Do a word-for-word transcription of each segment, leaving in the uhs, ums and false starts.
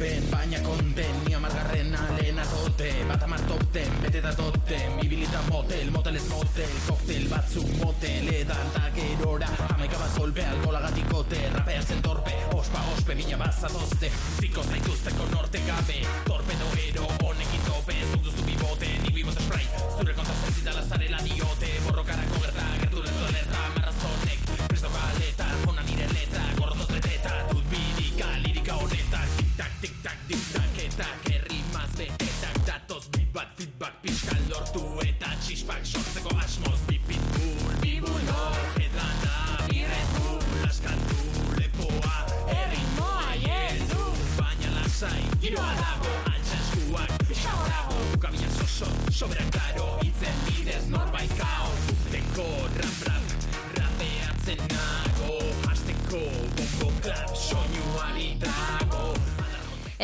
lorpen, baina konten, ni amargarren alena tote, bat amartopten, bete da toten, bibilita motel, motel ez motel, koktel batzuk motel, edan da gerora, amaika bat golpe, alkolagatik ote, rapeatzen torpe, ospa, ospe, bila bazatozte, ziko zaituzteko norte gabe, torpedo ero, honekin tope, zuk duzu bibote, nik bibote spray, zure konta zentzitala zarela diote, borrokarako gerta, gertu lezo alerta, marrazonek, presto galeta, jona nire letra, gorrotoz leteta, dut bidika, lirika honetan, tic-tac, tic-tac, tic-tac, eta kerrimaz betetak, datoz bibat, feedback, pixka lortu eta txispak, sortzeko asmoz, bipitbul, bibulo, edana, birretul, askatu, lepoa, erritmoa, jedu, baina lasai, giroa dago, altxaskuak, pixka horago, bukabinak soso, soberan klaro, itzen bidez norbait kao, usteko, rap, rap, rapeatzen nago, hasteko, bombo, klap, soinuari dago.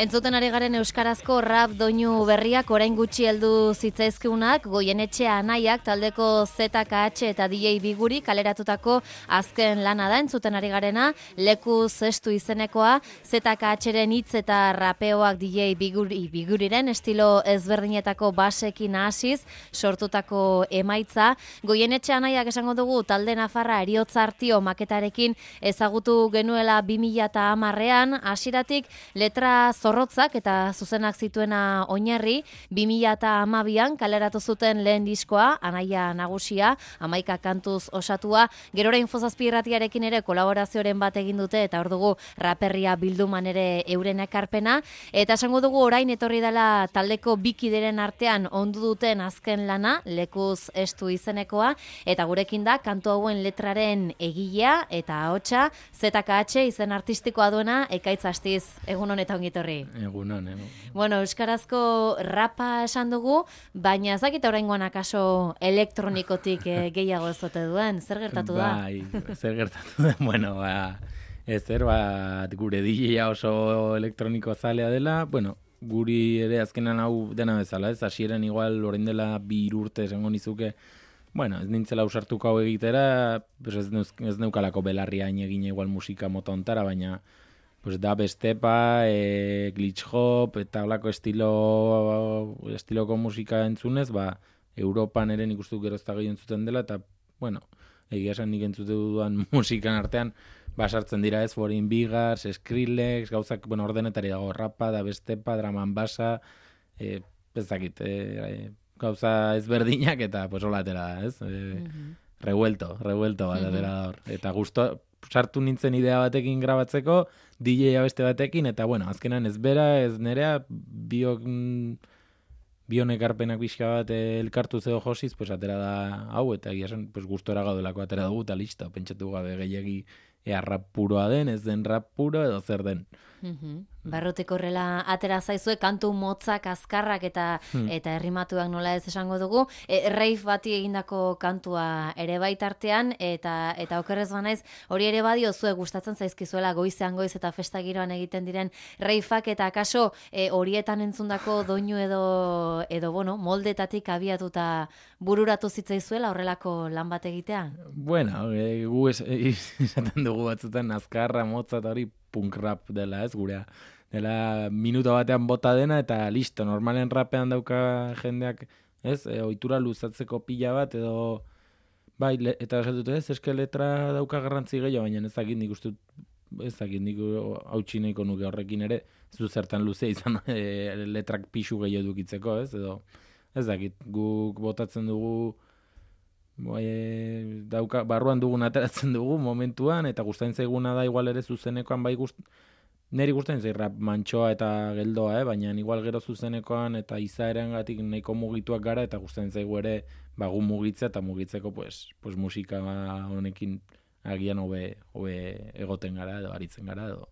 Entzuten ari garen euskarazko rap doinu berriak orain gutxi heldu zitzaizkiunak Goienetxe Anaiak taldeko Z K H eta D J Biguri kaleratutako azken lana da. Entzuten ari garena Lekuz Estu izenekoa Z K H-ren hitz eta rapeoak D J Biguri, Biguriren estilo ezberdinetako basekin hasiz sortutako emaitza. Goienetxe Anaiak esango dugu talde nafarra Heriotza Artio maketarekin ezagutu genuela bi mila hamarrean, hasieratik letra zorrotzak eta zuzenak zituena oinarri, bi mila hamabian kaleratu zuten lehen diskoa, Anaia Nagusia, hamaika kantuz osatua, gerora Infozazpi irratiarekin ere kolaborazioren bat egin dute, eta hor dugu raperria bilduman ere euren ekarpena, eta esango dugu orain etorri dela taldeko bikideren artean ondu duten azken lana, Lekuz Estu izenekoa, eta gurekin da kantu hauen letraren egilea eta ahotsa Z K H izen artistikoa duena Ekaitz Astiz. Egun honetan ongi etorri. Egunon, egun. Bueno, euskarazko rapa esan dugu, baina ez dakit oraingoan akaso elektronikotik eh, gehiago ez ote duen, zer gertatu da? Bai, zer gertatu da, bueno, ba, ezer, bat gure D J-a oso elektroniko zalea dela, bueno, guri ere azkenan hau dena bezala, ez, hasieran igual orain dela bi urte esango nizuke, bueno, ez nintzela usartuko hau egitera, pues ez, neuz, ez neukalako belarria hain egin igual musika mota ontara, baina pues da bestepa, e, glitch hop, eta holako estilo, estiloko musika entzunez, ba, Europan ere nik uste dut gerozta gehiago entzuten dela, eta, bueno, egia esan nik entzute dudan musikan artean, ba, sartzen dira ez, Foreign Bigars, Skrillex, gauzak, bueno, ordenetari dago, rapa, da bestepa, draman basa, e, ez dakit, e, e, gauza ezberdinak, eta, pues, hola atera da, ez? E, mm-hmm. Revuelto, revuelto bat atera da hor. Eta gusto, sartu nintzen idea batekin grabatzeko, D J beste batekin, eta bueno, azkenan ez bera, ez nerea, biok, bionek arpenak pixka bat elkartu zeo josiz, pues atera da hau, eta egia esan, pues gustora gaudelako atera dugu, eta listo, pentsatu gabe gehiagi ea rap puroa den, ez den rap puro, edo zer den. Mm-hmm. Barruteko horrela atera zaizue, kantu motzak, azkarrak eta hmm. eta errimatuak nola ez esango dugu. E, Reif bati egindako kantua ere baitartean, eta eta okerrez banaiz, hori ere badio zue gustatzen zaizkizuela goizean goiz eta festa giroan egiten diren Reifak, eta akaso e, horietan entzundako doinu edo, edo bueno, moldetatik abiatuta bururatu zitzaizuela horrelako lan bat egitea? Bueno, e, gu es, e, esaten dugu batzutan azkarra, motza eta hori punk rap dela, ez, gurea. Dela minuto batean bota dena, eta listo, normalen rapean dauka jendeak, ez, e, ohitura luzatzeko pila bat, edo, bai, le, eta esatute ez, eske letra dauka garrantzi gehiago, baina ez dakit nik uste, ez dakit nik hautsi nahiko nuke horrekin ere, ez du zertan luzea izan e, letrak pixu gehiago dukitzeko, ez, edo, ez dakit, guk botatzen dugu, bai, dauka, barruan dugun ateratzen dugu momentuan, eta gustatzen zaiguna da igual ere zuzenekoan, bai gust, neri gustatzen zait rap mantxoa eta geldoa, eh? Baina igual gero zuzenekoan eta izaerangatik nahiko mugituak gara, eta gustatzen zaigu ere bagu mugitza, eta mugitzeko pues, pues musika honekin agian hobe, hobe egoten gara, edo aritzen gara, edo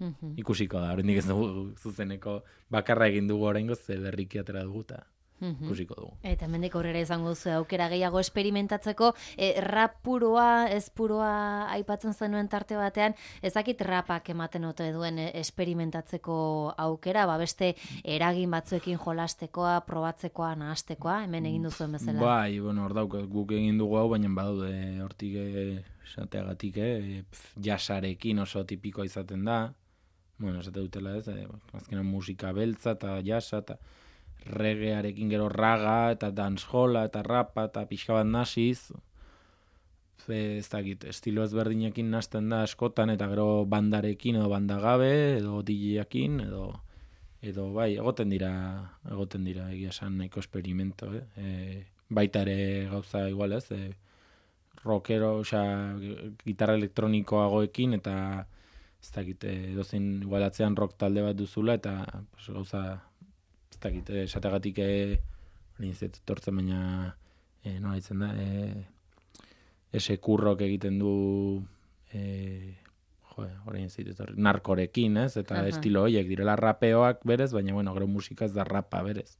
mm-hmm. ikusiko da, oraindik ez dugu zuzeneko bakarra egin dugu oraingoz, ze berriki atera dugu, eta Mm-hmm. ikusiko dugu. Eta hemendik aurrera izango duzu aukera gehiago esperimentatzeko, e, rap puroa, ez puroa aipatzen zenuen tarte batean, ezakit rapak ematen ote duen esperimentatzeko aukera, ba beste eragin batzuekin jolastekoa, probatzekoa, nahastekoa, hemen egin duzuen bezala. Bai, bueno, hor dauk, guk egin dugu hau, baina badaude hortik esateagatik, eh, jasarekin oso tipikoa izaten da, bueno, esate dutela ez, e, azkenan musika beltza eta jasa eta reggaearekin gero raga eta dancehalla eta rapa eta pixka bat nasiz, ez dakit, estilo ezberdinekin nasten da askotan eta gero bandarekin edo bandagabe edo D J-ekin edo edo bai, egoten dira egoten dira egia esan nahiko esperimento, eh? E, baita ere gauza igual ez, e, rockero, osea, gitarra elektronikoagoekin eta ez dakit, edozein igual atzean rock talde bat duzula eta pues, gauza ez dakit, esategatik hori ez etortzen baina e, nola ditzen da, e, ese kurrok egiten du e, jo, orain zitut, narkorekin, ez? Eta uh-huh. estilo horiek direla rapeoak berez, baina bueno, gero musika ez da rapa berez.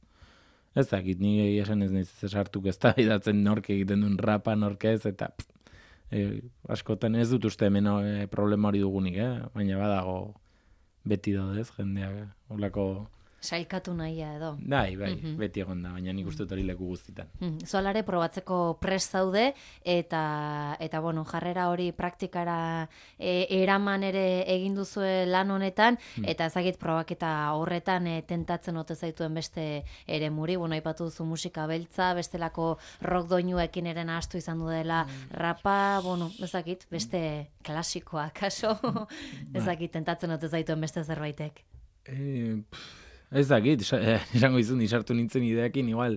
Ez dakit, ni esan ez nahiz esartuk ez da idatzen nork egiten duen rapa, nork ez, eta pff, e, askotan ez dut uste hemen e, problema hori dugunik, eh? Baina badago beti daudez, jendeak, holako sailkatu nahia edo. Bai, bai, mm-hmm. beti egon da, baina nik uste dut hori leku guztitan. Mm-hmm. Zualare probatzeko prest zaude, eta, eta bueno, jarrera hori praktikara e, eraman ere egin duzue lan honetan, mm. eta ezagit probaketa horretan e, tentatzen ote zaituen beste ere muri, bueno, aipatu duzu musika beltza, bestelako rock doinuekin ere nahastu izan du dela mm. rapa, bueno, ezagit, beste klasikoa, kaso, ezagit tentatzen ote zaituen beste zerbaitek. Eh, Ez dakit, esango izun, isartu nintzen ideakin, igual,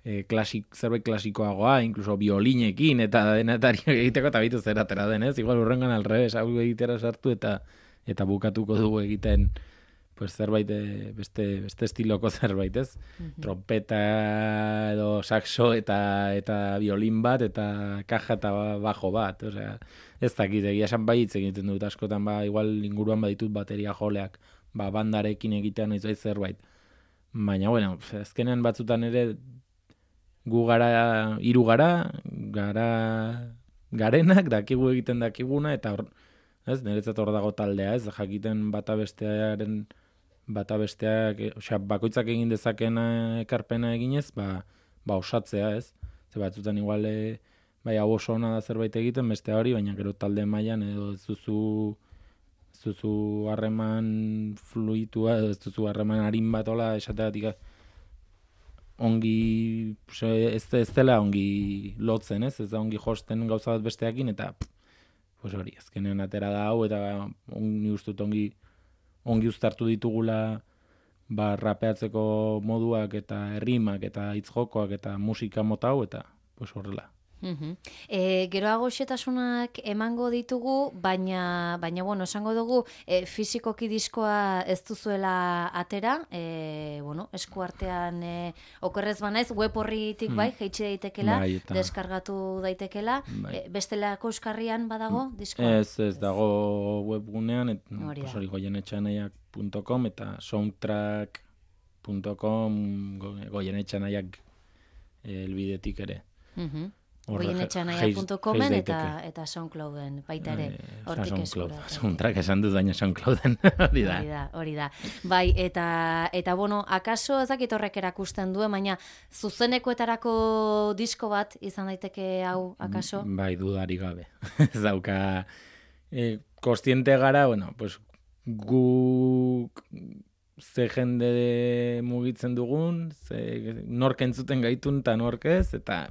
e, klasik, zerbait klasikoagoa, inkluso biolinekin, eta denetari egiteko, eta bitu zeratera denez, igual urrengan alrebes, hau egitera sartu, eta eta bukatuko dugu egiten, pues, zerbait, beste, beste estiloko zerbait, ez? Mm-hmm. Trompeta edo saxo, eta eta biolin bat, eta kaja eta bajo bat, osea, ez dakit, egia esan bai hitz egiten dut askotan, ba, igual inguruan baditut bateria joleak, ba, bandarekin egitean ez zerbait. Baina, bueno, azkenean batzutan ere gu gara, hiru gara, gara garenak, dakigu egiten dakiguna, eta hor, ez, niretzat hor dago taldea, ez, jakiten bata bestearen, bata besteak, osea, bakoitzak egin dezakena ekarpena eginez, ba, ba osatzea, ez. Ze batzutan igual, e, bai, hau oso ona da zerbait egiten, beste hori, baina gero talde mailan edo ez duzu ez duzu harreman fluitua, ez duzu harreman harin bat ola esateatik ongi, ez, ez dela ongi lotzen, ez, ez da ongi josten gauza bat besteakin, eta pues hori, azkenean atera da hau, eta ni ustut ongi, ongi uztartu ditugula ba, rapeatzeko moduak eta errimak eta hitzjokoak eta musika mota hau, eta pues horrela. Mm-hmm. E, geroago xetasunak emango ditugu, baina, baina bueno, esango dugu e, fizikoki diskoa ez duzuela atera, e, bueno, eskuartean e, okerrez banaiz, web horritik bai, jeitsi daitekela, bai, eta deskargatu daitekela, bai. E, bestelako euskarrian badago diskoa? Ez, ez dago webgunean, et, pues hori goienetxanaiak punto com eta soundtrack punto com goienetxanaiak elbidetik ere. Mhm. goienetxanaia punto comen eta, eta SoundClouden baita ere, hortik eskura. Soundtrack esan dut baina SoundClouden, hori da. Hori da, hori da. Bai, eta, eta bueno, akaso ezakit horrek erakusten duen, baina zuzenekoetarako disko bat izan daiteke hau, akaso? Bai, dudari gabe. Ez dauka, eh, kostiente gara, bueno, pues, gu ze jende mugitzen dugun, ze nork entzuten gaitun eta nork ez, eta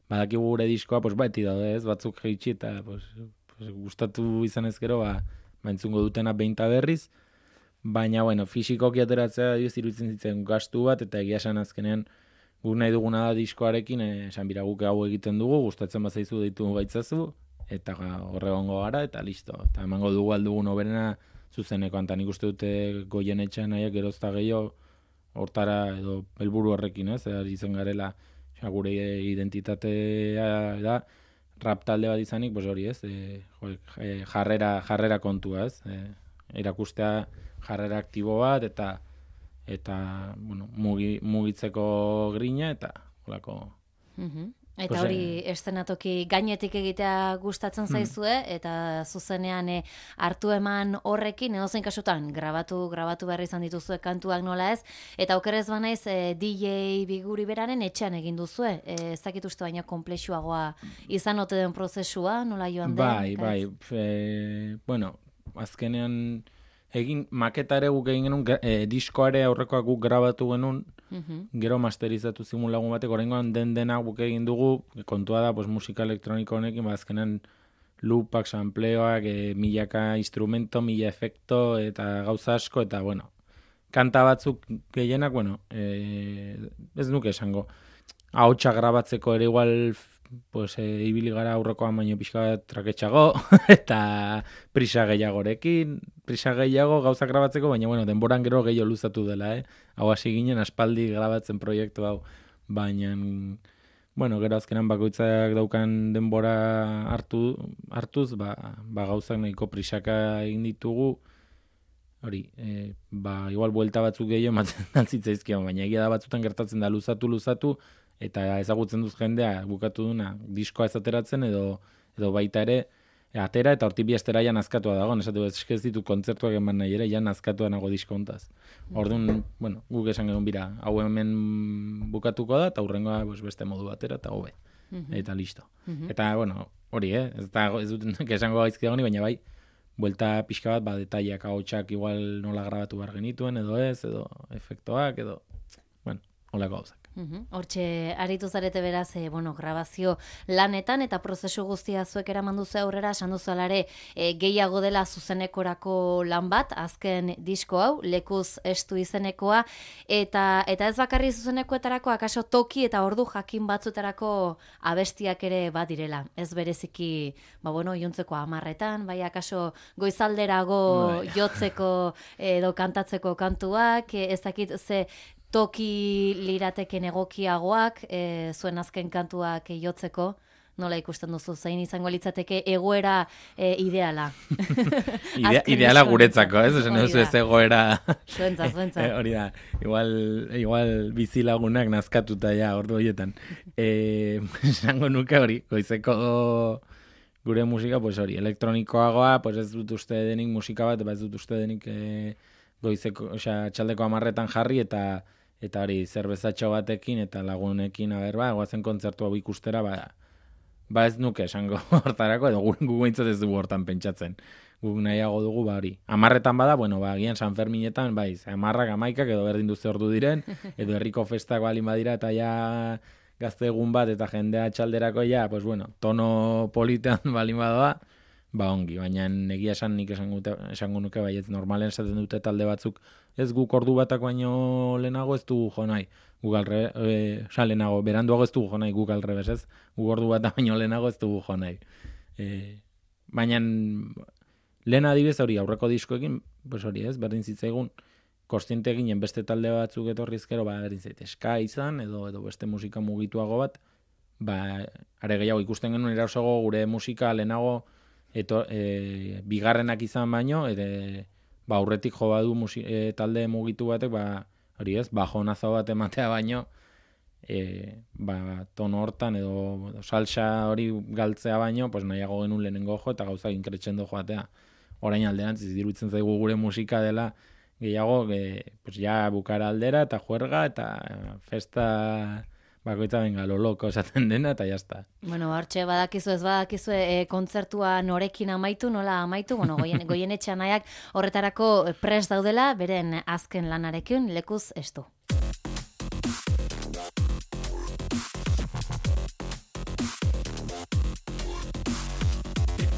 badakigu gure diskoa, pues, beti daude ez, batzuk jeitsi eta pues, pues, gustatu izan ez gero, ba, ba entzungo dutena behinta berriz, baina, bueno, fisikoki ateratzea dioz iruditzen zitzen gastu bat, eta egia esan azkenean guk nahi duguna da diskoarekin, esan bira guk hau egiten dugu, gustatzen bazaizu deitu baitzazu, eta horregongo gara, eta listo. Eta emango dugu aldugun oberena zuzenekoan, eta nik uste dute Goienetxean nahiak gerozta gehiago hortara edo helburu horrekin, ez, ari zen garela, gure identitatea da, rap talde bat izanik, pues hori ez, e, jarrera, jarrera kontua ez, e, erakustea jarrera aktibo bat, eta eta bueno, mugi, mugitzeko grina, eta holako. Mm-hmm. Eta pues, hori estenatoki gainetik egitea gustatzen zaizue, mm. eta zuzenean e, hartu eman horrekin, edozein kasutan, grabatu, grabatu behar izan dituzue kantuak nola ez, eta okerrez banaiz e, D J Biguri beraren etxean egin duzue, e, ez dakit uste baina komplexuagoa izan ote den prozesua, nola joan den? Bai, bai, e, bueno, azkenean egin maketa ere guk egin genuen, e, diskoare aurrekoak guk grabatu genuen, Mhm. gero masterizatu zigun lagun batek, oraingoan den dena guk egin dugu, kontua da, pues, musika elektroniko honekin, ba, azkenan loopak, sampleoak, e, milaka instrumento, mila efekto, eta gauza asko, eta, bueno, kanta batzuk gehienak, bueno, e, ez nuke esango, ahotsa grabatzeko ere igual, pues, e, ibili gara aurrekoan baino pixka bat traketxago, eta prisa gehiagorekin, prisa gehiago gauza grabatzeko, baina, bueno, denboran gero gehiago luzatu dela, eh? Hau hasi ginen aspaldi grabatzen proiektu hau, baina, bueno, gero azkenan bakoitzak daukan denbora hartu, hartuz, ba, ba gauzak nahiko prisaka egin ditugu, hori, e, ba, igual buelta batzuk gehiago ematen zitzaizkion, baina egia da batzutan gertatzen da luzatu, luzatu, eta ezagutzen duz jendea bukatu duna diskoa ez ateratzen edo, edo baita ere atera eta hortik bi astera ja nazkatua dago, esatu ez ditu kontzertuak eman nahi ere, ja nazkatua nago disko hontaz. Orduan, bueno, guk esan genuen bira, hau hemen bukatuko da, eta hurrengoa pues, beste modu batera, eta hobe. Mm-hmm. Eta listo. Mm-hmm. Eta, bueno, hori, eh? Ez, da, ez dut esango gaizki dago, baina bai, buelta pixka bat, ba, detaiak, ahotsak igual nola grabatu behar genituen, edo ez, edo efektoak, edo, bueno, holako gauzak. Hortxe, aritu zarete beraz, e, bueno, grabazio lanetan eta prozesu guztia zuek eraman duzu aurrera, esan duzu alare e, gehiago dela zuzenekorako lan bat, azken disko hau, lekuz estu izenekoa, eta eta ez bakarri zuzenekoetarako, akaso toki eta ordu jakin batzutarako abestiak ere badirela. Ez bereziki, ba bueno, jontzeko amarretan, bai akaso goizalderago jotzeko edo kantatzeko kantuak, ez dakit ze toki lirateken egokiagoak, e, zuen azken kantuak jotzeko, nola ikusten duzu, zein izango litzateke egoera e, ideala. Idea, ideala guretzako, ez? Esan duzu ez egoera... Zuentza, zuentza. E, hori da, igual, igual bizilagunak nazkatuta ja, ordu horietan. E, esango nuke hori, goizeko gure musika, pues hori, elektronikoagoa, pues ez dut uste denik musika bat, ba ez dut uste denik e, goizeko, osea, txaldeko amarretan jarri, eta eta hori, zerbezatxo batekin, eta lagunekin, aber, ba, goazen kontzertu hau ikustera, ba, ba ez nuke esango hortarako, edo gu guintzat ez dugu hortan pentsatzen. Guk nahiago dugu, ba hori. Amarretan bada, bueno, ba, gian San Ferminetan, bai, amarrak amaikak, edo berdin duze ordu diren, edo herriko festak balin badira, eta ja gazte egun bat, eta jendea txalderako ja, pues bueno, tono politean balin badoa, ba ongi, baina egia esan nik esango nuke bai, ez normalen esaten dute talde batzuk, ez guk ordu batak baino lehenago ez dugu jo nahi, guk alre, e, oza, lehenago, beranduago ez dugu jo nahi, guk alrebes ez, guk ordu batak baino lehenago ez dugu jo nahi. E, baina lehen adibidez hori, aurreko diskoekin, pues hori ez, berdin zitzaigun, kostiente ginen beste talde batzuk etorrizkero, ba, berdin zait, ska izan, edo, edo beste musika mugituago bat, ba, are gehiago ikusten genuen erasogo gure musika lehenago, Eto, e, bigarrenak izan baino, ere, ba, aurretik jo badu musi, e, talde mugitu batek, ba, hori ez, bajonazo bat ematea baino, e, ba, tono hortan edo, edo salsa hori galtzea baino, pues nahiago genuen lehenengo jo eta gauza inkretxendo joatea. Orain alderantz, iruditzen zaigu gure musika dela, gehiago, ge, pues ja bukara aldera eta juerga eta festa... Bakoitza benga, lo loko esaten dena, eta jazta. Bueno, hartxe, badakizu ez badakizu e, kontzertua norekin amaitu, nola amaitu, bueno, goien, goien etxanaiak horretarako prest daudela, beren azken lanarekin, lekuz estu.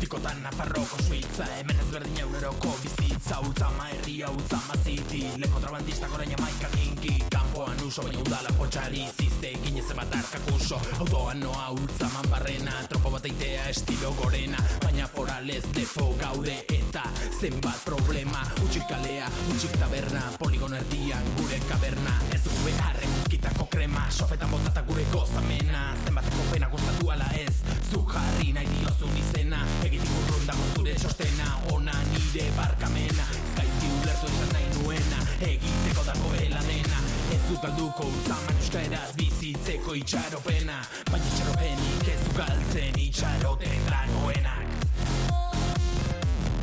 Tikotan Nafarroko suitza, hemen ezberdin euneroko bizitza, Ultzama herria, Ultzama ziti, leko trabandistak orain amaika kinki, kanpoan uso, baina udala potxari zizte, ginez ebat arkakuso, autoan noa Ultzaman barrena, tropo bat eitea estilo gorena, baina foralez defo gaude eta zenbat problema, utxik kalea, utxik taberna, poligon erdian gure kaberna, ez dugu beharren guzkitako krema, sofetan botata gure gozamena, zenbateko pena gustatu ala ez, zu jarri nahi diozun izena, egitik urrun dago zure txostena, ona nire barkamena, ezkaizki ulertu esan nahi nuena, egiteko dagoela dena, ez dut galduko Ultzaman euskaraz bizitzeko itxaropena, baina itxaropenik ez du galtzen itxaroten dagoenak.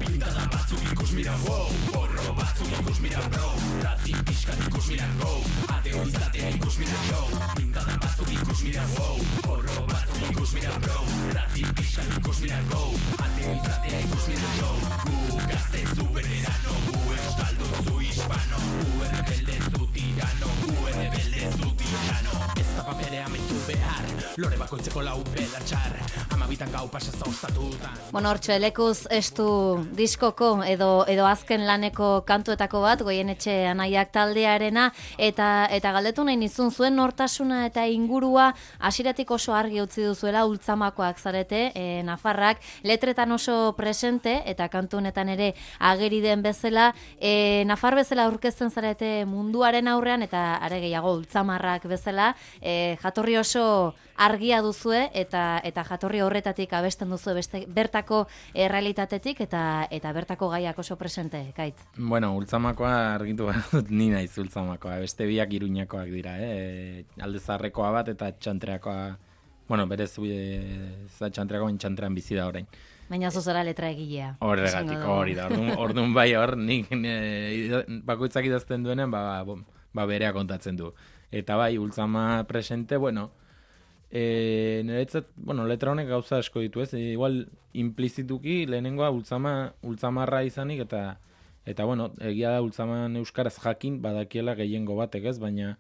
Pintada batzuk ikus mira, wow, porro batzuk ikus mira, bro, ratzin pixkat ikus mira, go, ateo izatea ikus mira, yo, pintada batzuk ikus mira, wow, porro batzuk ikus mira, bro, ratzin Atzetik pixka ikus mirako, ateo izatea ikus mirako. Gu gazte zu veterano, gu euskaldun zu hispano, gu errebelde zu tirano, gu errebelde zu tirano. Ez da paperea mentu behar, lore bakoitzeko lau belatxar, amabitan gau pasa zaustatutan. Bueno, hortxe, lekuz estu diskoko edo edo azken laneko kantuetako bat, Goienetxe Anaiak taldearena, eta eta galdetu nahi nizun zuen nortasuna eta ingurua hasieratik oso argi utzi duzuela ultzamakoak zarete, e, Nafarrak, letretan oso presente, eta kantu honetan ere ageri den bezala, e, Nafar bezala aurkezten zarete munduaren aurrean, eta are gehiago ultzamarrak bezala, e, jatorri oso argia duzue, eta eta jatorri horretatik abesten duzu beste bertako errealitatetik eta eta bertako gaiak oso presente, Gaitz. Bueno, ultzamakoa argitu behar dut ni naiz ultzamakoa, beste biak Iruñakoak dira, eh? Alde zaharrekoa bat eta txantreakoa, bueno, berez e, txantreakoa txantrean bizi da orain. Baina zuzera letra egilea. Horregatik, hori da, orduan, orduan bai hor, nik ne, bakoitzak idazten duenen, ba, ba, ba berea kontatzen du. Eta bai, ultzama presente, bueno, E, niretzat, bueno, letra honek gauza asko ditu, ez? E, igual implizituki lehenengoa ultzama, ultzamarra izanik eta eta bueno, egia da ultzaman euskaraz jakin badakiela gehiengo batek, ez? Baina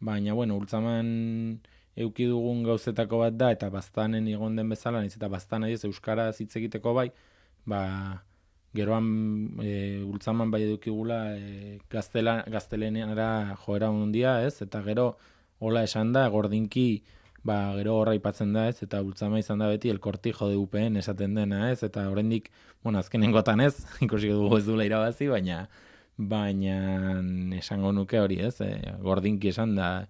baina bueno, ultzaman euki dugun gauzetako bat da eta baztanen egon den bezala, naiz eta baztan ez euskaraz hitz egiteko bai, ba geroan e, ultzaman bai edukigula e, gaztela gazteleneara joera handia, ez? Eta gero hola esan da gordinki ba, gero horra ipatzen da, ez, eta ultzama izan da beti el cortijo de U P N esaten dena, ez, eta oraindik, bueno, azkenengotan ez, ikusi dugu ez duela irabazi, baina baina esango nuke hori, ez, e, gordinki esan da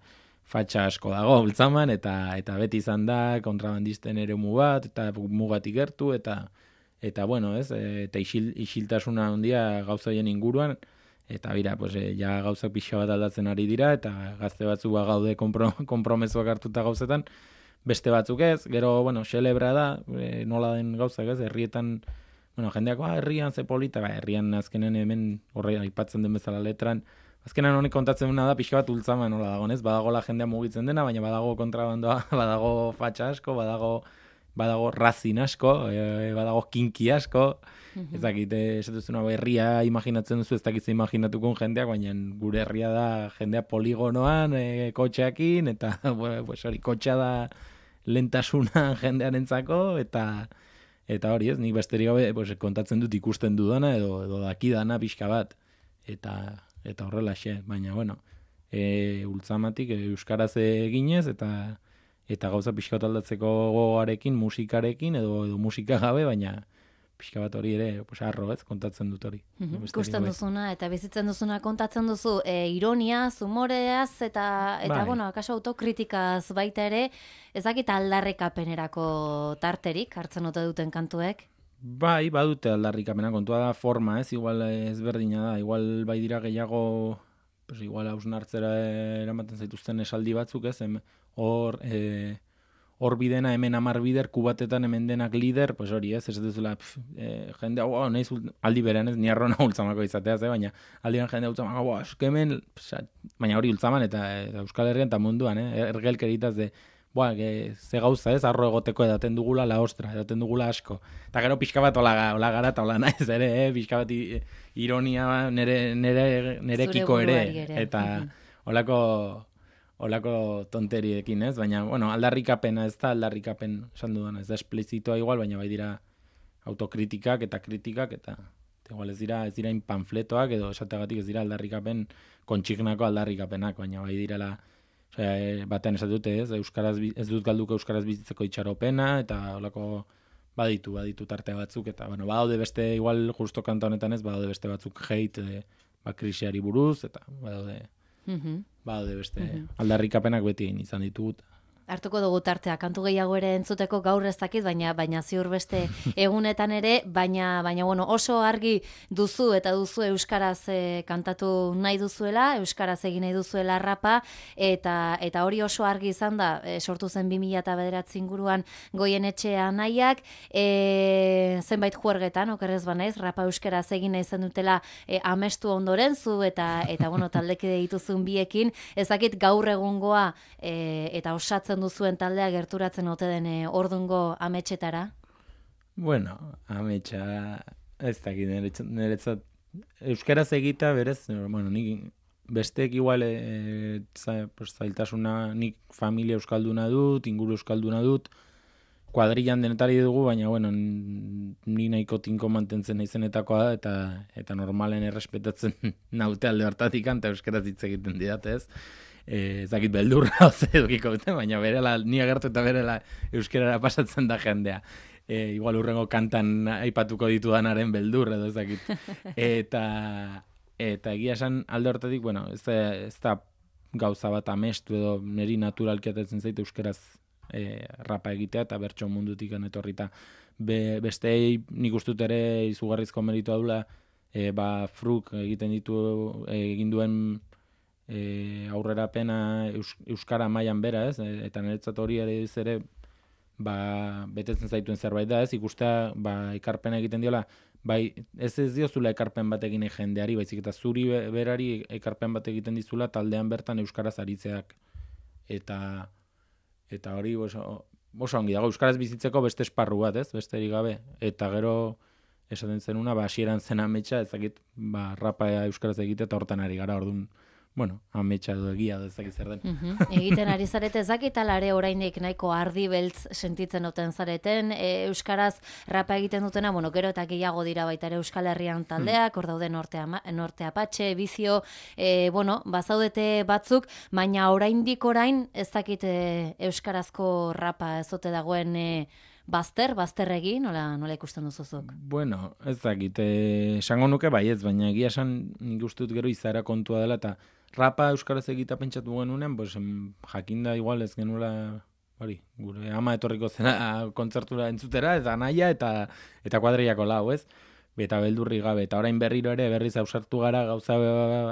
fatxa asko dago ultzaman, eta eta beti izan da kontrabandisten eremu bat, eta mugatik gertu, eta eta bueno, ez, e, eta isil, isiltasuna handia gauza hien inguruan, eta bira, pues, e, ja gauzak pixa bat aldatzen ari dira, eta gazte batzuk ba gaude kompro, kompromezuak hartuta gauzetan, beste batzuk ez, gero, bueno, celebra da, e, nola den gauzak ez, herrietan, bueno, jendeak, ba, herrian ze polita, ba, herrian azkenen hemen horre aipatzen den bezala letran, azkenan honek kontatzen duna da, pixka bat ultzama nola dago, ez, badago la jendea mugitzen dena, baina badago kontrabandoa, badago fatxa asko, badago, badago razin asko, e, badago kinki asko, ez dakit, ez duzuna herria imaginatzen duzu, ez dakit ze imaginatuko jendeak, baina gure herria da jendea poligonoan, e, kotxeakin, eta bueno, pues hori, kotxea da lentasuna jendearentzako, eta eta hori ez, nik besterik gabe pues, kontatzen dut ikusten dudana, edo, edo dakidana pixka bat, eta eta horrelaxe, baina bueno, e, ultzamatik e, euskaraz eginez, eta eta gauza pixka bat aldatzeko gogoarekin, musikarekin, edo, edo musika gabe, baina pixka bat hori ere, pues, arro, ez, kontatzen dut hori. Mm-hmm. Ikusten duzuna, eta bizitzen duzuna kontatzen duzu, e, ironiaz, humoreaz, eta, eta bai. Bueno, akaso autokritikaz baita ere, ezakit aldarrikapenerako tarterik, hartzen ote duten kantuek? Bai, badute aldarrikapena, kontua da forma, ez, igual ezberdina da, igual bai dira gehiago, pues, igual hausnartzera eramaten zaituzten esaldi batzuk, ez, hor, e, hor bidena hemen amar bider, kubatetan hemen denak lider, pues hori ez, ez duzula, e, jende, hau, nahiz, aldi berean ez, ni arrona ultzamako izateaz, eh, baina aldi berean jende ultzamako, hau, eskemen, baina hori ultzaman eta, eta Euskal Herrian eta munduan, eh, ergelkeritaz de, boa, ge, ze gauza ez, arro egoteko edaten dugula la ostra, edaten dugula asko. Eta gero pixka bat ola, ola gara eta ola naiz ere, eh, pixka bat ironia nere, nere, nerekiko ere, ere, eta olako... Olako tonteriekin, ez? Baina, bueno, aldarrikapena ez da, aldarrikapen esan dudan, ez da esplizitoa igual, baina bai dira autokritikak eta kritikak, eta, eta igual ez dira, ez dira panfletoak, edo esateagatik ez dira aldarrikapen, kontxignako aldarrikapenak, baina bai direla, osea, batean esatute, ez? Euskaraz, ez dut galduko euskaraz bizitzeko itxaropena, eta olako baditu, baditu tarte batzuk, eta, bueno, badaude beste, igual, justo kanta honetan ez, badaude beste batzuk hate, ba, krisiari buruz, eta badaude... Mm-hmm. Baude beste mm-hmm. aldarrikapenak beti izan ditut. Hartuko dugu tartea, kantu gehiago ere entzuteko gaur ez dakit, baina baina ziur beste egunetan ere, baina baina bueno, oso argi duzu eta duzu euskaraz e, kantatu nahi duzuela, euskaraz egin nahi duzuela rapa, eta eta hori oso argi izan da, e, sortu zen bi mila bederatzi inguruan Goienetxe Anaiak, e, zenbait juergetan, okerrez banaiz, rapa euskaraz egin nahi zen dutela e, amestu ondoren zu, eta eta bueno, taldekide dituzun biekin, ez dakit gaur egungoa e, eta osatzen ikusten duzuen taldea gerturatzen ote den e, ordungo ametsetara? Bueno, ametsa ez dakit niretzat euskaraz egita berez, bueno, nik besteek igual e, za, pues, zailtasuna, nik familia euskalduna dut, inguru euskalduna dut, kuadrillan denetari dugu, baina bueno, ni nahiko tinko mantentzen naizenetakoa da, eta eta normalen errespetatzen naute alde hartatik eta euskaraz hitz egiten didate, ez? Eh, ez dakit beldurra oze edukiko dute, baina berela, ni agertu eta berela euskarara pasatzen da jendea. E, igual urrengo kantan aipatuko ditudanaren beldur edo ez dakit. Eta, eta egia esan alde hortatik, bueno, ez da, ez da gauza bat amestu edo niri naturalki atetzen zait euskeraz e, rapa egitea eta bertso mundutik etorrita. Be, bestei nik ustut ere izugarrizko meritua dula, e, ba, fruk egiten ditu egin duen e, aurrerapena eus, euskara mailan bera, ez? E, eta niretzat hori ere ez ere ba, betetzen zaituen zerbait da, ez, ikustea, ba, ekarpena egiten diola, bai, ez ez diozula ekarpen bat egin jendeari, baizik eta zuri berari ekarpen bat egiten dizula taldean bertan euskaraz aritzeak. Eta, eta hori oso, oso ongi dago, euskaraz bizitzeko beste esparru bat, ez, besterik gabe. Eta gero, esaten zenuna, ba, hasieran zen ametsa, ezakit, ba, rapa euskaraz egite eta hortan ari gara, orduan, bueno, ametsa edo egia da ezakit zer den. Uh-huh. Egiten ari zarete ezakit alare oraindik nahiko ardi beltz sentitzen duten zareten, e, euskaraz rapa egiten dutena, bueno, gero eta gehiago dira baita ere Euskal Herrian taldeak, hor daude norte, norte Apatxe, Bizio, e, bueno, bazaudete batzuk, baina oraindik orain ezakit e, euskarazko rapa ezote dagoen e, bazter, bazter egin, nola, nola ikusten duzuzuk? Bueno, ez dakit, esango nuke baietz, baina egia esan nik ustut gero izaera kontua dela, eta rapa euskaraz egita pentsatu genunean, pues, jakinda igual ez genuela, hori, gure ama etorriko zena kontzertura entzutera, eta naia, eta eta kuadriako lau, ez? Eta beldurri gabe, eta orain berriro ere berriz ausartu gara gauza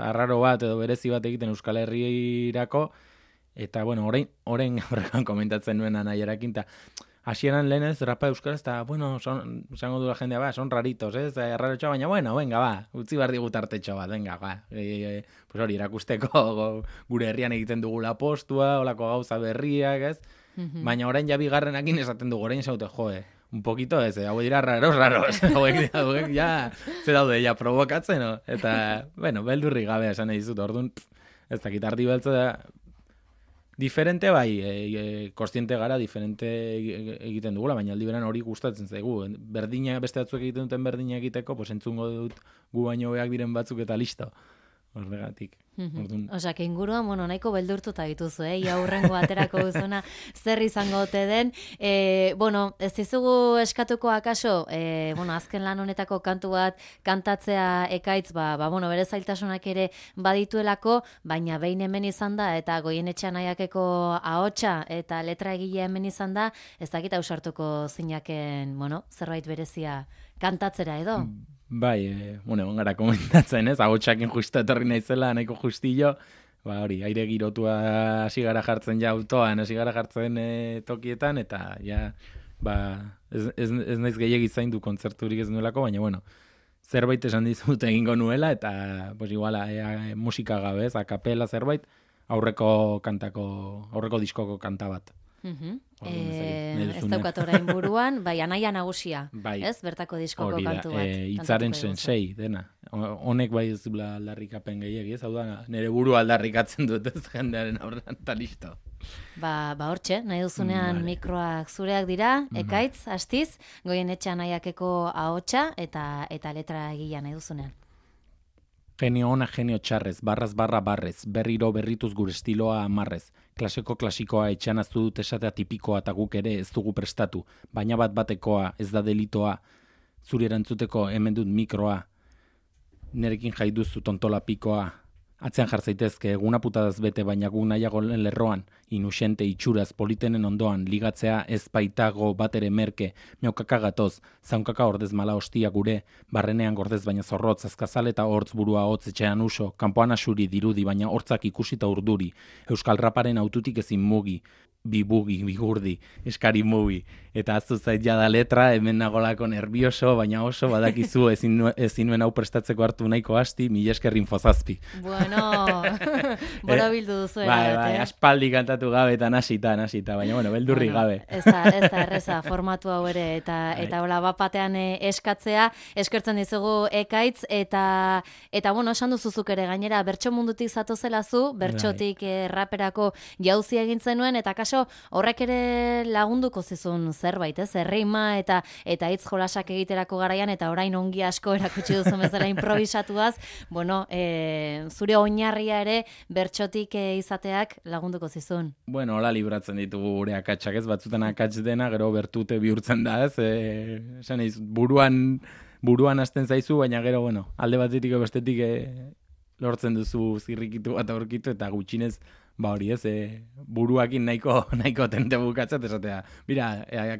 arraro bat edo berezi bat egiten Euskal Herrirako, eta bueno, orain, orain horrekan komentatzen nuen anaierakin, eta hasieran lehenez, rapa euskaraz, eta, bueno, son, esango du la jendea, ba, son raritos, ez, eh? Arrarotxoa, baina, bueno, venga, ba, utzi behar digut artetxo bat, venga, ba, e, e, pues hori, erakusteko gure herrian egiten dugula postua, olako gauza berriak, ez, mm-hmm. Baina orain ja bigarrenakin esaten dugu, orain zaute, joe, un poquito ez, hau dira raros, raros, hauek dira duek, ja, ze daude, ja, provokatzen, no? Eta, bueno, beldurri gabe esan nahi dizut, orduan, ez dakit, ardi beltza da, diferente bai, e, e, kostiente gara, diferente egiten dugula, baina aldi beran hori gustatzen zaigu. Berdina, beste batzuek egiten duten berdina egiteko, pues entzungo dut gu baino beak diren batzuk eta listo. Horregatik. Mm-hmm. Osak, inguruan, bueno, nahiko beldurtuta dituzu, eh? Ia hurrengo aterako duzuna zer izango ote den. E, bueno, ez dizugu eskatuko akaso, e, bueno, azken lan honetako kantu bat kantatzea ekaitz, ba, ba bueno, bere zailtasunak ere badituelako, baina behin hemen izan da, eta Goienetxe Anaiakeko ahotsa eta letra egilea hemen izan da, ez dakit ausartuko zinaken, bueno, zerbait berezia kantatzera edo? Mm. Bai, e, bueno, gara komentatzen, ez, agotxakin justa etorri naizela, nahiko justillo, ba hori, aire girotua hasi gara jartzen ja autoan, hasi gara jartzen e, tokietan, eta ja, ba, ez, ez, ez naiz gehiagi zaindu kontzerturik ez nuelako, baina, bueno, zerbait esan dizut egingo nuela, eta, pues, igual, e, e, musika gabe, ez, akapela zerbait, aurreko kantako, aurreko diskoko kanta bat. Uh-huh. E, ez daukat orain buruan, bai, Anaia Nagusia, bai, ez, bertako diskoko kantu bat. E, itzaren sensei, dena. Honek bai ez dula aldarrikapen gehiagi, ez, hau da, nire buru aldarrikatzen dut ez jendearen aurrean, eta listo. Ba, ba hortxe, nahi duzunean vale. Mikroak zureak dira, ekaitz, astiz, Goienetxe Anaiakeko ahotsa eta eta letra egila nahi duzunean. Genio ona, genio txarrez, barraz barra barrez, berriro berrituz gure estiloa amarrez. Klaseko klasikoa etxean aztu dut esatea tipikoa eta guk ere ez dugu prestatu. Baina bat batekoa, ez da delitoa, zuri erantzuteko hemen dut mikroa. Nerekin jai duzu tontola pikoa. Atzean jartzaitezke, eguna putadaz bete, baina gu nahiago lerroan, inusente itxuraz politenen ondoan, ligatzea ez baitago bat ere merke, miaukaka gatoz, zaunkaka ordez mala hostia gure, barrenean gordez baina zorrotz, azkazal eta hortz burua hotz etxean uso, kanpoan asuri dirudi, baina hortzak ikusita urduri, Euskal Raparen aututik ezin mugi, bibugi, bigurdi, eskari mugi. Eta aztu zait jada letra, hemen nagolako nervioso, baina oso, badakizu ezin, ezin nuen hau prestatzeko hartu nahiko asti, mila esker infozazpi. Bueno, bora bildu duzu Bai, erabat, bai, eh? aspaldi kantatu gabe eta nasita, nasita, baina bueno, beldurri Bueno, gabe. Ez da, ez da erreza formatu hau ere, eta eta hola bapatean eh, eskatzea, eskertzen dizugu Ekaitz, eta eta bueno, esan duzuzuk ere gainera, bertso mundutik zatozela zu, bertsotik eh, raperako jauzi egin zenuen, eta kaso horrek ere lagunduko zizun zerbait, ez? Errima eta eta hitz jolasak egiterako garaian, eta orain ongi asko erakutsi duzu bezala improvisatuaz, bueno, e, zure oinarria ere bertsotik e, izateak lagunduko zizun. Bueno, hola libratzen ditugu gure akatsak, ez? Batzutan akats dena, gero bertute bihurtzen da, ez? E, esan eiz, buruan, buruan hasten zaizu, baina gero, bueno, alde batetik bestetik e, lortzen duzu zirrikitu bat aurkitu, eta gutxinez, ba hori ez, e, buruakin nahiko, nahiko tente bukatzat, esatea, mira, e,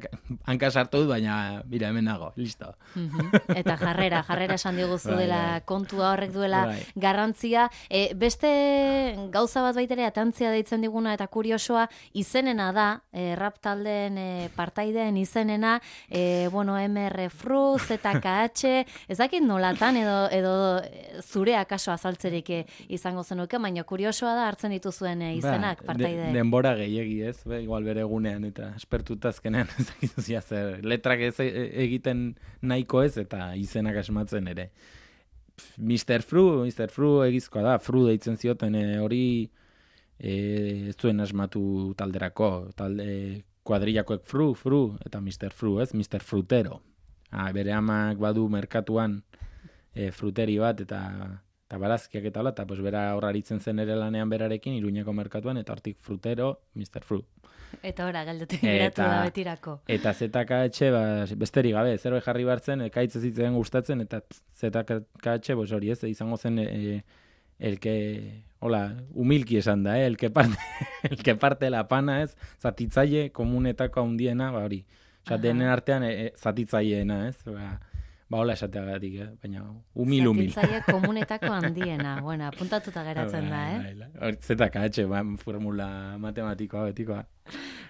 hanka sartu dut, baina, mira, hemen nago, listo. Mm-hmm. Eta jarrera, jarrera esan diguzu Bai, dela bai. kontua horrek duela Bai. garrantzia. E, beste gauza bat baitere atantzia deitzen diguna eta kuriosoa izenena da, e, rap taldeen e, partaideen izenena, e, bueno, M R F R U, Z K H, ez dakit nolatan edo, edo zure akaso azaltzerik e, izango zenuke, baina kuriosoa da hartzen dituzuen e, izenak Ba, partaide. de, denbora gehiegi ez, be, igual bere egunean, eta espertuta azkenean ez dakizu zia zer, letrak ez e- egiten nahiko ez, eta izenak asmatzen ere. Pff, mister Fru, mister Fru egizkoa da, Fru deitzen zioten e, hori e, ez zuen asmatu talderako, talde kuadrillakoek Fru, Fru, eta mister Fru, ez, mister Frutero. Ah, bere amak badu merkatuan e, fruteri bat, eta eta barazkiak eta hola, eta pues, bera horraritzen zen ere lanean berarekin, Iruñeko merkatuan, eta hortik Frutero, mister Fru. Eta ora, galdetik geratu da betirako. Eta Z K H, ba, besterik gabe, zerbait jarri bartzen, Ekaitz ez zitzen gustatzen, eta Z K H, pues hori ez, izango zen, e, el que, hola, humilki esan da, eh? el, que parte, el que parte la pana ez, zatitzaile komunetako handiena, ba hori. Osa, denen artean, e, zatitzaileena, ez, ba, ba hola esateagatik, eh? Baina humil, humil. Zatitzaile komunetako handiena, bueno, apuntatuta geratzen da, eh? Hor, Z K H, ba, formula matematikoa, betikoa.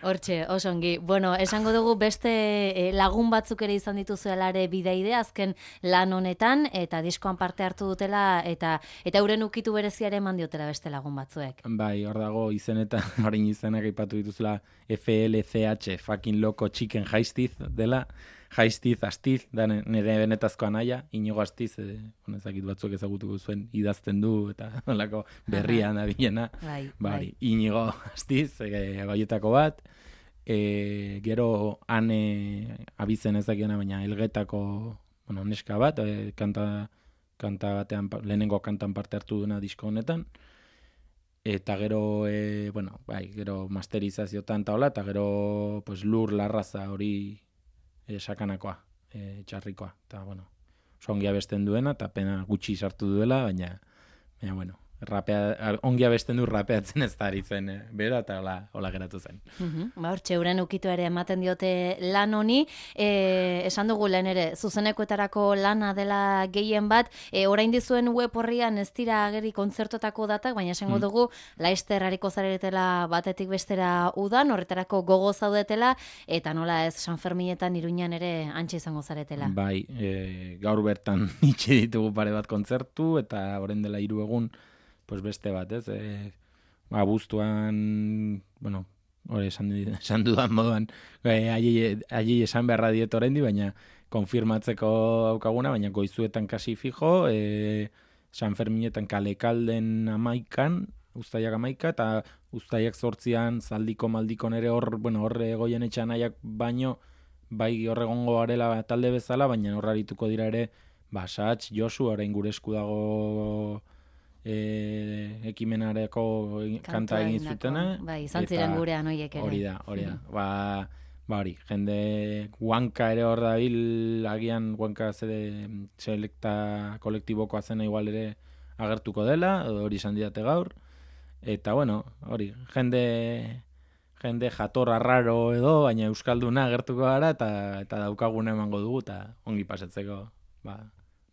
Hortxe, oso ongi. Bueno, esango dugu beste eh, lagun batzuk ere izan dituzuela ere bideide azken lan honetan, eta diskoan parte hartu dutela, eta eta euren ukitu bereziare eman diotela beste lagun batzuek. Bai, hor dago izenetan, orain izenak aipatu dituzula F L C H, fucking loco chicken jaistiz dela, jaistiz, astiz, da nire benetazko anaia, Inigo Astiz, e, bueno, ezakit batzuk ezagutuko zuen, idazten du, eta nolako berrian abilena, Bai, ba, bai. Inigo Astiz, e, goietako bat, e, gero ane abizen ezakiona, baina elgetako, bueno, neska bat, e, kanta, kanta batean, lehenengo kantan parte hartu duna disko honetan, eta gero, e, bueno, bai, gero masterizaziotan eta hola, eta gero, pues, lur larraza hori e, sakanakoa, e, txarrikoa, eta, bueno, oso ongi abesten duena, eta pena gutxi sartu duela, baina, baina, bueno, rapea, ongi abesten du rapeatzen ez da aritzen, eh, bera, eta hola, hola geratu zen. Uhum. Ba, hortxe, euren ukitu ere ematen diote lan honi, e, esan dugu lehen ere, zuzenekoetarako lana dela gehien bat, e, orain dizuen web horrian ez dira ageri kontzertotako datak, baina esango dugu, laizter hariko zaretela batetik bestera udan, horretarako gogo zaudetela, eta nola ez San Ferminetan Iruñan ere antxe izango zaretela. Bai, e, gaur bertan itxi ditugu pare bat kontzertu, eta orain dela hiru egun, pues beste bat, ez? E, ba, abuztuan, bueno, hori esan, esan dudan moduan, e, haiei esan beharra diet oraindi, baina konfirmatzeko daukaguna, baina goizuetan kasi fijo, e, San Ferminetan Kalekalden amaikan, Uztaiak amaika, eta Uztaiak zortzian zaldiko maldikon ere hor, bueno, horre goien etxan aiak baino, bai horregongo garela talde bezala, baina horra arituko dira ere, ba, Satz, Josu, orain gure esku dago e, ekimenareko kanta egin zutena. Bai, izan ziren gurean hoiek ere. Hori da, hori da. Ba, ba hori, jende Huanka ere hor dabil, agian Huanka zede selekta kolektibokoa zena igual ere agertuko dela, hori izan didate gaur. Eta bueno, hori, jende jende jatorra raro edo, baina euskalduna agertuko gara, eta eta daukaguna emango dugu, eta ongi pasatzeko, ba,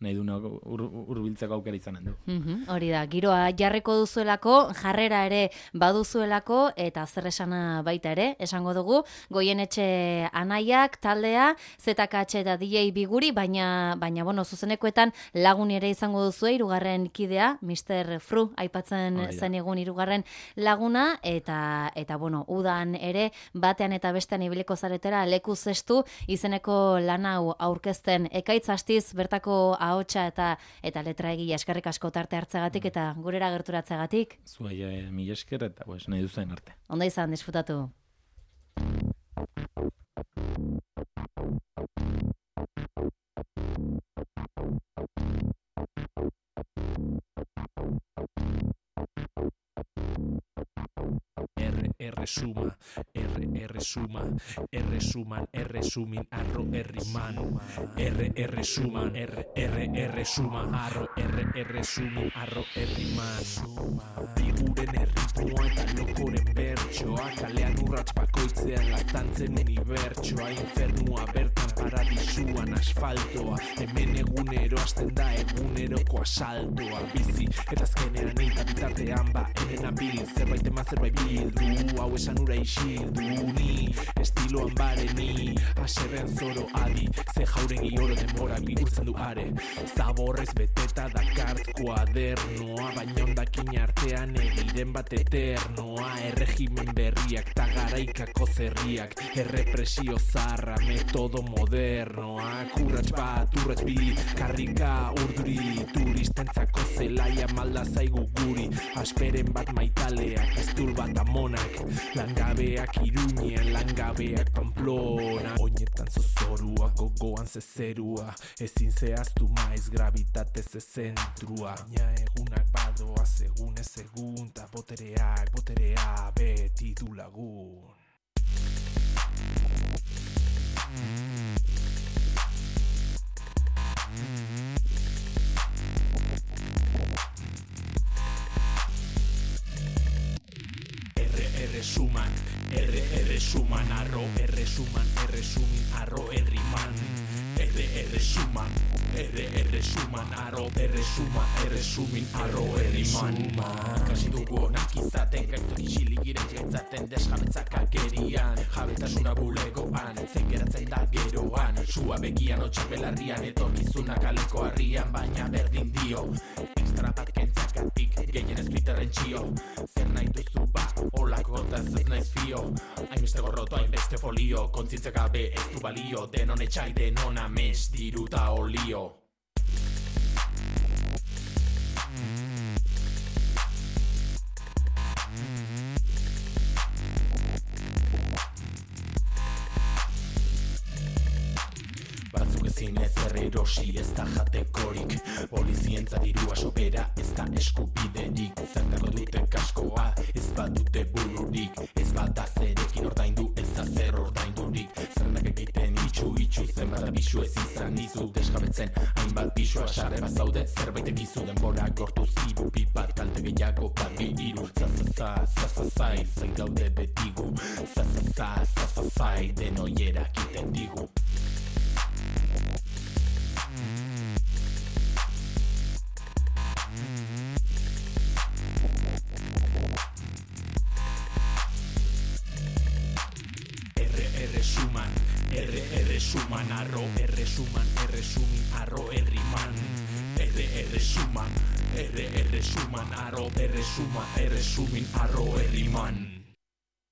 nahi duna hurbiltzeko aukera izanen du. Mm-hmm, hori da, giroa jarriko duzuelako, jarrera ere baduzuelako, eta zer esana baita ere, esango dugu, Goienetxe Anaiak taldea, Z K H eta D J Biguri, baina, baina bueno, zuzenekoetan lagun ere izango duzu, hirugarren kidea, mister Fru, aipatzen oh, zen egun hirugarren laguna, eta, eta bueno, udan ere, batean eta bestean ibiliko zaretera, leku zestu, izeneko lan hau aurkezten ekaitz astiz, bertako ahotsa eta eta letra egia eskerrik asko tarte hartzegatik eta gurera gerturatzegatik. Zuei e, mila esker eta pues, nahi duzen arte. Ondo izan, disfrutatu. R suma, R R suma, R suman, R sumin, arro erriman, R R suman, R R R suman, arro R R sumin, arro erriman. Figuren erritmoa eta lokoren bertsoa, kalean urrats bakoitzean laztantzen unibertsoa, infernua bertan paradisuan asfaltoa, hemen egunero hasten da eguneroko asaltoa, bizi eta azkenean eta bitartean ba, hemen abil, zerbait eman zerbait bildu, hau esan ura isildu ni, estiloan bareni, aserrean zoro adi, ze jauregi oro denbora bihurtzen du are, zaborrez beteta dakart kuadernoa, baina ondakin artean egiren bat eternoa, erregimen berriak ta garaikako zerriak, errepresio zarra, metodo modernoa, kurratx bat, urratx bi, karrika urduri, turistentzako zelaia malda zaigu guri, asperen bat maitaleak, estul bat amonak, langabeak Iruñean, langabeak Pamplona, oinetan zozorua, gogoan zezerua, ezin zehaztu maiz gravitate zezentrua, baina egunak badoa segun ez egun, ta botereak, boterea beti du lagun. R suman, R R suman, arro R suman, R sumin, arro erriman, R R suman, R R suman, arro R suma, R sumin, arro erriman. Kasi dugu onak izaten, gaitu isilik giren jetzaten, desjabetzak agerian, jabetasuna bulegoan, zen geratzen da geroan, sua begian, otxak belarrian, etorkizuna kaleko harrian, baina berdin dio, extra bat kentzakatik, gehien ez Twitterren txio, zer nahi duzu ba, olako gotaz ez naiz fio, hainbeste gorroto, hainbeste folio, kontzientzia gabe ez du balio, denon etxai, denon amez, diruta olio. Batzuk ezin ez errerosi ez da jatekorik, polizientza dirua sobera ez da eskubiderik, zertako dute kaskoa ez badute bururik, ez bada zerekin ordaindu ez da zer ordaindurik, zernak egiten itxu itxu zenbat abisu ez izan izu, desjabetzen hainbat bisua sarre bat zaude, zerbait egizu denbora gortu zibu, pipat kalte gehiago bat iru, zazaza, zazazai, zain gaude betigu, zazaza, zazazai, denoiera egiten digu. R R suman, arro R suman, R sumin, arro erriman, R R suman, R R suman, arro R suma, R sumin, arro erriman.